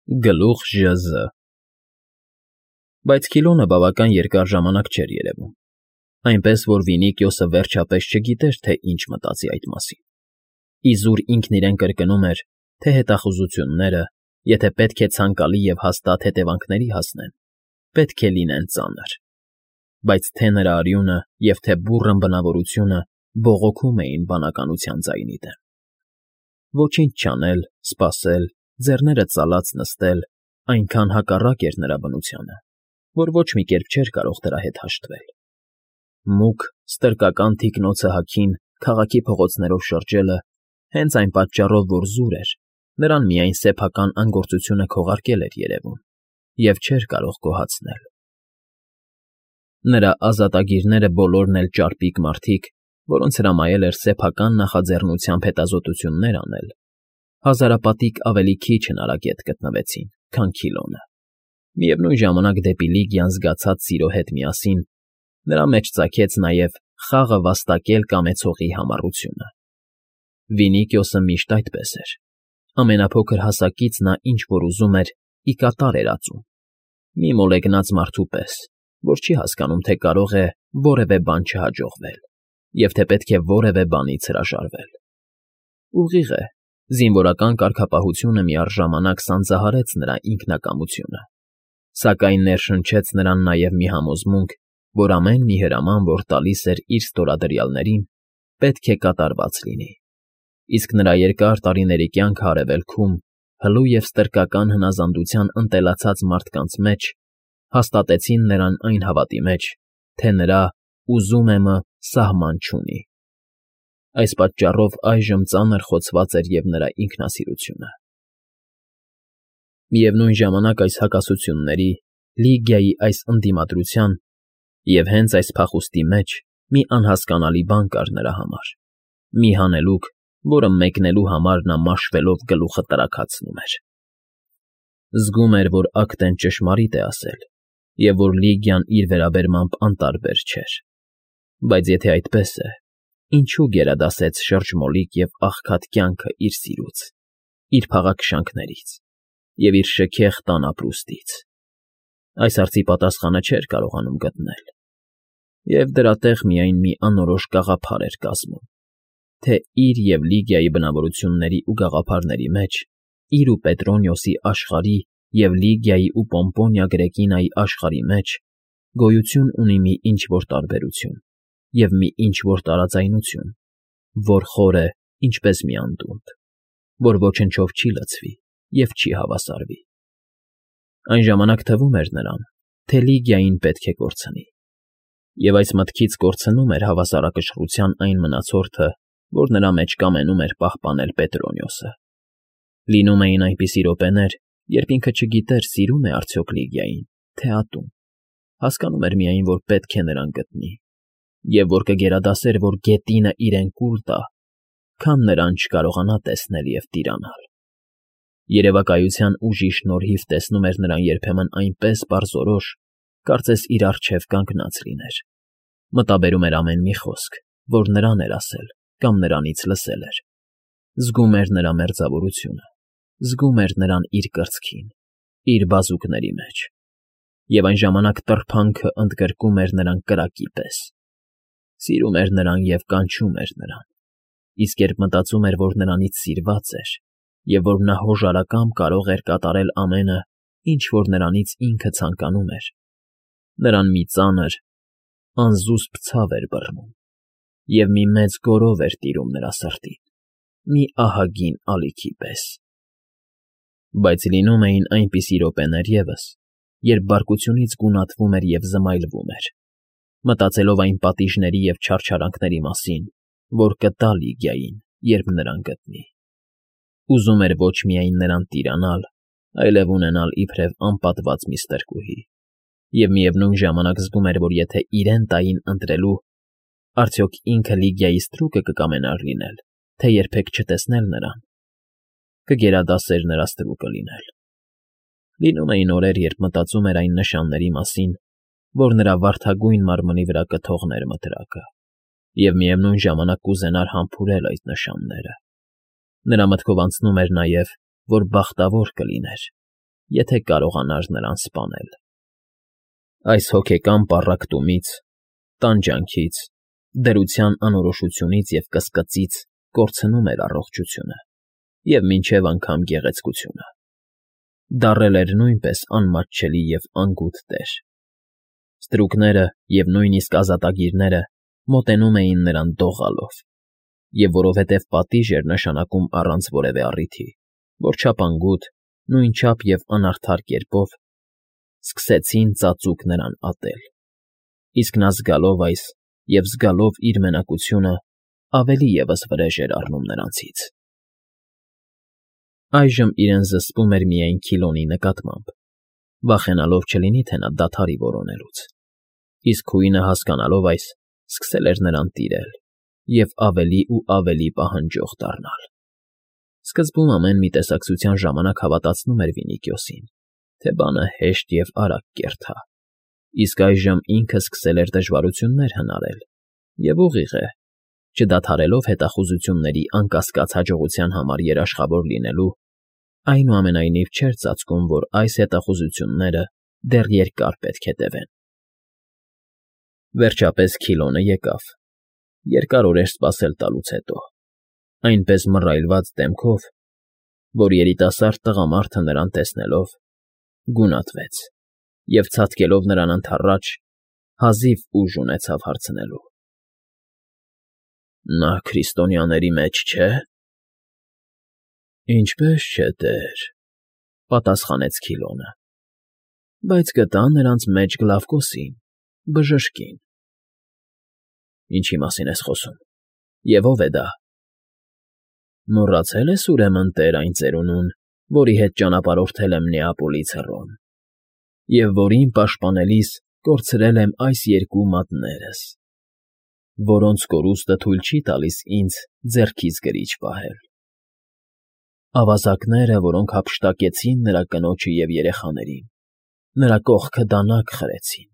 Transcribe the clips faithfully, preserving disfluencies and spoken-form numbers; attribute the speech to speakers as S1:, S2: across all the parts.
S1: Գլուխ ԺԶ Բայց Քիլոնը բավական երկար ժամանակ չէր երևում, այնպես որ Վինիքիոսը վերջապես չգիտեր, թե ինչ մտածի այդ մասին. իզուր ինքն իրեն կրկնում էր, թե հետախուզությունները, եթե պետք է ցանկալի և հաստատ հետևանքների հասնեն, պետք է լինեն ծանր, բայց թե նրա արյունը և թե բուռն բնավորությունը բողոքում էին բանականության ձայնի դեմ. ոչինչ չանել, սպասել, ձեռները ծալած նստել այնքան հակառակ էր նրա բնությանը, որ ոչ մի կերպ չէր կարող դրա հետ հաշտվել. մուգ, ստրկական թիկնոցը հագին քաղաքի փողոցներով շրջելը հենց այն պատճառով, որ զուր էր, նրան միայն սեփական անգործությունը քողարկել էր երևում և չէր կարող գոհացնել. նրա ազատագիրները բոլորն էլ ճարպիկ մարդիկ, որոնց հրամայել էր սեփական նախաձեռնությամբ հետազոտություններ անել, հազարապատիկ ավելի քիչ հնարագետ գտնվեցին, քան Քիլոնը, միևնույն ժամանակ դեպի Լիգիան զգացած սիրո հետ միասին նրա մեջ ծագեց նաև խաղը վաստակել կամեցողի համառությունը. Վինիքիոսը միշտ այդպես էր, ամենափոքր հասակից նա ինչ֊որ ուզում էր, ի կատար էր ածում, մի մոլեգնած մարդու պես, որ չի հասկանում, թե կարող է որևէ բան չհաջողվել և թե պետք է որևէ բանից հրաժարվել. ուղիղ է, զինվորական կարգապահությունը միառժամանակ սանձահարեց նրա ինքնակամությունը, սակայն ներշնչեց նրան նաև մի համոզմունք, որ ամեն մի հրաման, որ տալիս էր իր ստորադրյալներին, պետք է կատարված լինի, իսկ նրա երկար տարիների կյանքը արևելքում, հլու և ստրկական հնազանդության ընտելացած մարդկանց մեջ հաստատեցին նրան այն հավատի մեջ, թե նրա «ուզում եմ»֊ը սահման չունի. այս պատճառով այժմ ծանր խոցված էր և նրա ինքնասիրությունը։ Միևնույն ժամանակ այս հակասությունների, Լիգիայի այս ընդդիմադրության և հենց այս փախուստի մեջ մի անհասկանալի բան կար նրա համար, մի հանելուկ, որը մեկնելու համար նա մաշվելով գլուխը տրաքացնում էր. զգում էր, որ Ակտեն ճշմարիտ է ասել և որ Լիգիան իր վերաբերմամբ անտարբեր չէր, բայց եթե այդպես է, ինչու գերադասեց շրջմոլիկ և աղքատ կյանքը իր սիրուց, իր փաղաքշանքներից և իր շքեղ տան ապրուստից. այս հարցի պատասխանը չէր կարողանում գտնել, և դրա տեղ միայն մի անորոշ գաղափար էր կազմում, թե իր և Լիգիայի բնավորությունների ու գաղափարների մեջ, իր ու Պետրոնիոսի աշխարհի և Լիգիայի ու Պոմպոնիա Գրեկինայի աշխարհի մեջ գոյություն ունի մի ինչ֊որ տարբերություն և մի ինչ֊որ տարաձայնություն, որ խոր է, ինչպես մի անդունդ, որ ոչնչով չի լցվի և չի հավասարվի. այն ժամանակ թվում էր նրան, թե Լիգիային պետք է կորցնի, և այս մտքից կորցնում էր հավասարակշռության այն մնացորդը, որ նրա մեջ կամենում էր պահպանել Պետրոնիոսը. լինում էին այնպիսի րոպեներ, երբ ինքը չգիտեր սիրո՞ւմ է արդյոք Լիգիային, թե ատում, հասկանում էր միայն, որ պետք է նրան գտնի, և որ կգերադասեր, որ գետինը իրեն կուլ տա, քան նրան չկարողանա տեսնել և տիրանալ. երևակայության ուժի շնորհիվ տեսնում էր նրան երբեմն այնպես պարզորոշ, կարծես իր առջև կանգնած լիներ, մտաբերում էր ամեն մի խոսք, որ նրան էր ասել կամ նրանից լսել էր, զգում էր նրա մերձավորությունը, զգում էր նրան իր կրծքին, իր բազուկների մեջ, և այն ժամանակ տրփանքը ընդգրկում էր նրան կրակի պես, սիրում էր նրան և կանչում էր նրան, իսկ երբ մտածում էր, որ նրանից սիրված էր և որ նա հոժարակամ կարող էր կատարել ամենը, ինչ որ նրանից ինքը ցանկանում էր, նրան մի ծանր, անզուսպ ցավ էր բռնում և մի մեծ գոռով էր տիրում նրա սրտին, մի ահագին ալիքի պես։ Բայց լինում էին այնպիսի րոպեներ ևս, երբ բարկությունից գունատվում էր և զմայլվում էր, մտածելով այն պատիժների և չարչարանքների մասին, որ կտա Լիգիային, երբ նրան գտնի. ուզում էր ոչ միայն նրան տիրանալ, այլև ունենալ իբրև անպատված մի ստրկուհի, և միևնույն ժամանակ զգում էր, որ եթե իրեն տային ընտրելու, արդյոք ինքը Լիգիայի ստրուկը կկամենար լինել, թե երբեք չտեսնել նրան, կգերադասեր նրա ստրուկը լինել։ Լինում էին օրեր, երբ մտածում էր այն նշանների մասին, որ նրա վարդագույն մարմնի վրա կթողներ մտրակը, և միևնույն ժամանակ կուզենար համբուրել այդ նշանները. նրա մտքով անցնում էր նաև, որ բախտավոր կլիներ, եթե կարողանար նրան սպանել։ Այս հոգեկան պառակտումից, տանջանքից, դրության անորոշությունից և կսկծից կորցնում էր առողջությունը և մինչև անգամ գեղեցկությունը, դառել էր նույնպես անմատչելի և անգութ տեր։ Ստրուկները և նույնիսկ ազատագիրները մոտենում էին նրան դողալով, և որովհետև պատիժ էր նշանակում առանց որևէ առիթի, որչափ անգութ, նույնչափ և անարդար կերպով սկսեցին ծածուկ նրան ատել, իսկ նա զգալով այս և զգալով իր մենակությունը ավելի ևս վրեժ էր առնում նրանցից։ Այժմ իրեն զսպում էր միայն Քիլոնի նկատմամբ, վախենալով չլինի, թե նա դադարի որոնելուց, իսկ քույնը, հասկանալով այս, սկսել էր նրան տիրել և ավելի ու ավելի պահանջող դառնալ։ Սկզբում ամեն մի տեսակցության ժամանակ հավատացնում էր Վինիքիոսին, թե բանը հեշտ և արագ կերթա, իսկ այժմ ինքը սկսել էր դժվարություններ հնարել և, ուղիղ է, չդադարելով հետախուզությունների անկասկած հաջողության համար երաշխավոր լինելու, այնուամենայնիվ չէր ծածկում, որ այս հետախուզությունները դեռ երկար պետք է տևեն։ Վերջապես Քիլոնը եկավ, երկար օրեր սպասել տալուց հետո, այնպես մռայլված դեմքով, որ երիտասարդ տղամարդը նրան տեսնելով, գունատվեց և, ցատկելով նրան ընդառաջ, հազիվ ուժ ունեցավ հարցնելու. ֊ Նա քրիստոնյաների մեջ չէ՞։ ֊ Ինչպես չէ, տեր,֊ պատասխանեց Քիլոնը,֊ բայց գտա նրանց մեջ Գլավկոսին, բժշկին։ ֊ Ինչի՞ մասին ես խոսում, և ո՞վ է դա։ ֊ Մոռացել ես, ուրեմն, տեր, այն ծերունուն, որի հետ ճանապարհորդել եմ Նեապոլից հեռուն, և որին պաշտպանելիս կորցրել եմ այս երկու մատներս, որոնց կորուստը թույլ չի տալիս ինձ ձեռքիս գրիչ պահել, ավազակները, որոնք հափշտակեցին նրա կնոջը և երեխաներին, նրա կողքը դանակ խրեցին։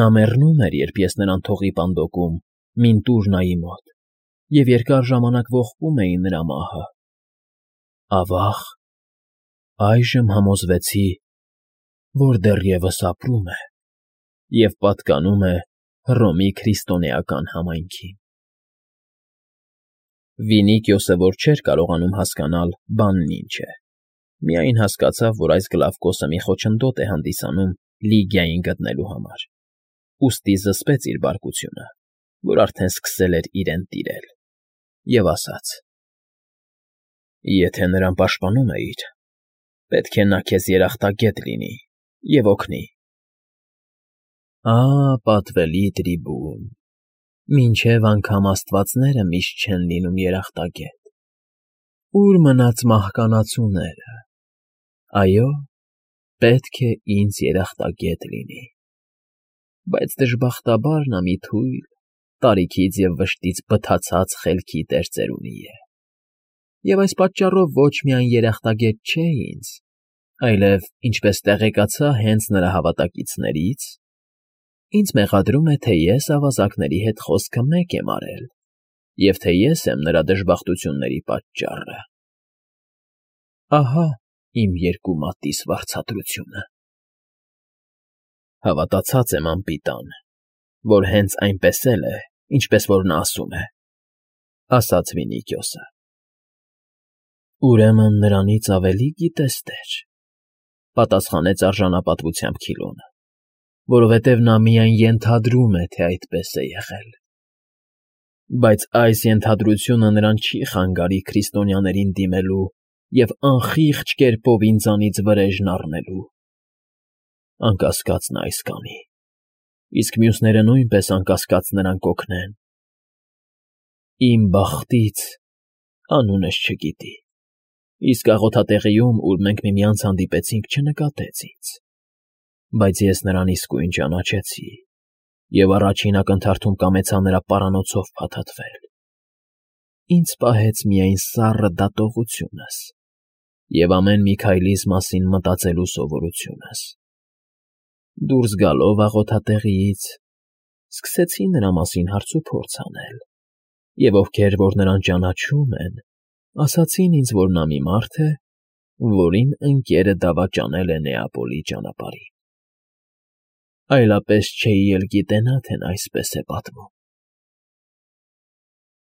S1: Նա մեռնում էր, երբ ես նրան թողի պանդոկում Մինտուրնայի մոտ, և երկար ժամանակ ողբում էի նրա մահը։ Ավա՜ղ, այժմ համոզվեցի, որ դեռևս ապրում է և պատկանում է Հռոմի քրիստոնեական համայնքին։ Վինիքիոսը, որ չէր կարողանում հասկանալ բանն ինչ է, միայն հասկացավ, որ այս Գլավկոսը մի խոչընդոտ է հանդիսանում Լիգիային գտնելու համար, ուստի զսպեց իր բարկությունը, որ արդեն սկսել էր իրեն տիրել, և ասաց. ֊ Եթե նրան պաշտպանում էիր, պետք է նա քեզ երախտագետ լինի և օգնի։ ֊ Ա՜, պատվելի трибուն, մինչև անգամ աստվածները միշտ չեն լինում երախտագետ, ո՞ւր մնաց մահկանացուները։ Այո, պետք է ինձ երախտագետ լինի, բայց դժբախտաբար նա մի թույլ, տարիքից և վշտից բթացած խելքի տեր ծերունի է, և այս պատճառով ոչ միայն երախտագետ չէ ինձ, այլև, ինչպես տեղեկացա հենց նրա հավատակիցներից, ինձ մեղադրում է, թե ես ավազակների հետ խոսքը մեկ եմ արել և թե ես եմ նրա դժբախտությունների պատճառը։ Ահա իմ երկու մատից վարձատրությունը։ ֊ Հավատացած եմ, անպիտան, որ հենց այնպես էլ է, ինչպես որ նա ասում է,֊ ասաց Վինիքիոսը։ ֊ Ուրեմն նրանից ավելի գիտես, տեր,֊ պատասխանեց արժանապատվությամբ Քիլոնը, որովհետև նա միայն ենթադրում է, թե այդպես է եղել։ Բայց այս ենթադրությունը նրան չի խանգարի քրիստոնյաներին դիմելու և անխիղճ կերպով ինձանից վրեժն առնելու։ Անկասկած նա այս կանի, իսկ մյուսները նույնպես անկասկած նրան կօգնեն։ Իմ բախտից անունս չգիտի, իսկ աղոթատեղիում, ուր մենք միմյանց հանդիպեցինք, չնկատեց ինձ, բայց ես նրան իսկույն ճանաչեցի և առաջին ակնթարթում կամեցա նրա պարանոցով փաթաթվել։ Ինձ պահեց միայն սառը դատողությունս և ամեն մի քայլիս մասին մտածելու սովորությունս։ Դուրս գալով աղոթատեղիից՝ սկսեցի նրա մասին հարցուփորձ անել, և ովքեր որ նրան ճանաչում են, ասացին ինձ, որ նա մի մարդ է, որին ընկերը դավաճանել է Նեապոլի ճանապարհին։ Այլապես չէի էլ գիտենա, թե նա այսպես է պատմում։